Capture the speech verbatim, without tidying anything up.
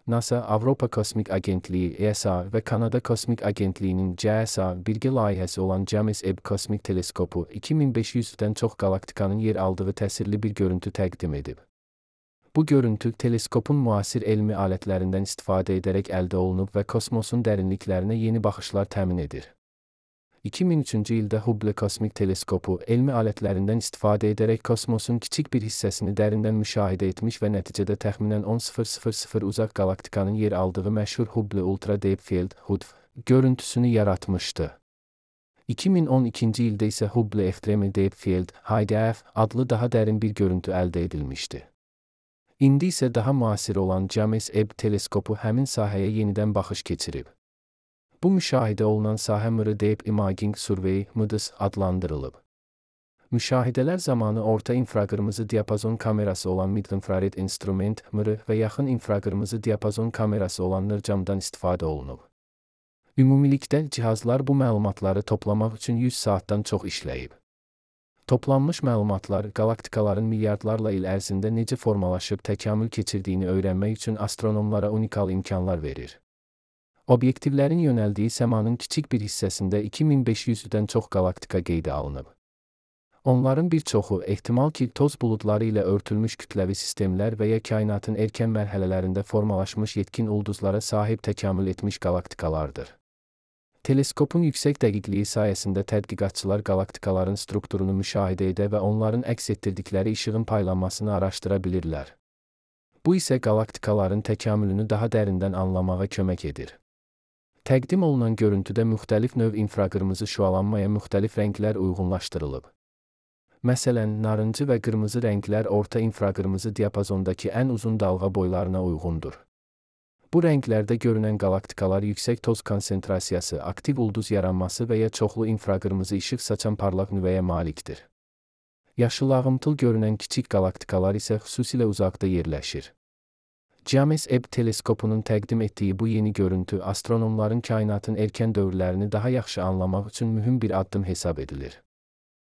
NASA, Avropa Kosmik Agentliyi E S A və Kanada Kosmik Agentliyinin C S A birgə layihəsi olan James Webb Kosmik Teleskopu iki min beş yüzdən çox qalaktikanın yer aldığı təsirli bir görüntü təqdim edib. Bu görüntü, teleskopun müasir elmi alətlərindən istifadə edərək əldə olunub və kosmosun dərinliklərinə yeni baxışlar təmin edir. iki min üçüncü ildə Hubble Kosmik Teleskopu, elmi alətlərindən istifadə edərək kosmosun kiçik bir hissəsini dərindən müşahidə etmiş və nəticədə təxminən on min uzaq qalaktikanın yer aldığı məşhur Hubble Ultra Deep Field (H U D F) görüntüsünü yaratmışdı. iki min on ikinci ildə isə Hubble Extreme Deep Field (H D F) adlı daha dərin bir görüntü əldə edilmişdi. İndi isə daha müasir olan James Webb Teleskopu həmin sahəyə yenidən baxış keçirib. Bu müşahidə olunan sahə M R Deep Imaging Survey (M D S) adlandırılıb. Müşahidələr zamanı orta infraqırmızı diapazon kamerası olan Mid-Infrared Instrument (M R) və yaxın infraqırmızı diapazon kamerası olan N I R C-dan istifadə olunub. Ümumilikdə cihazlar bu məlumatları toplamaq üçün yüz saatdan çox işləyib. Toplanmış məlumatlar, qalaktikaların milyardlarla il ərzində necə formalaşıb təkamül keçirdiyini öyrənmək üçün astronomlara unikal imkanlar verir. Obyektivlərin yönəldiyi səmanın kiçik bir hissəsində iki min beş yüzdən çox qalaktika qeydə alınıb. Onların bir çoxu, ehtimal ki, toz buludları ilə örtülmüş kütləvi sistemlər və ya kainatın erkən mərhələlərində formalaşmış yetkin ulduzlara sahib təkamül etmiş qalaktikalardır. Teleskopun yüksək dəqiqliyi sayəsində tədqiqatçılar qalaktikaların strukturunu müşahidə edə və onların əks etdirdikləri işığın paylanmasını araşdıra bilirlər. Bu isə qalaktikaların təkamülünü daha dərindən anlamağa kömək edir. Təqdim olunan görüntüdə müxtəlif növ infraqırmızı şüalanmaya müxtəlif rənglər uyğunlaşdırılıb. Məsələn, narıncı və qırmızı rənglər orta infraqırmızı diapazondakı ən uzun dalğa boylarına uyğundur. Bu rənglərdə görünən qalaktikalar yüksək toz konsentrasiyası, aktiv ulduz yaranması və ya çoxlu infraqırmızı işıq saçan parlaq nüvəyə malikdir. Yaşıl ağımtıl görünən kiçik qalaktikalar isə xüsusilə uzaqda yerləşir. James Webb Teleskopunun təqdim etdiyi bu yeni görüntü astronomların kainatın erkən dövrlərini daha yaxşı anlamaq üçün mühüm bir addım hesab edilir.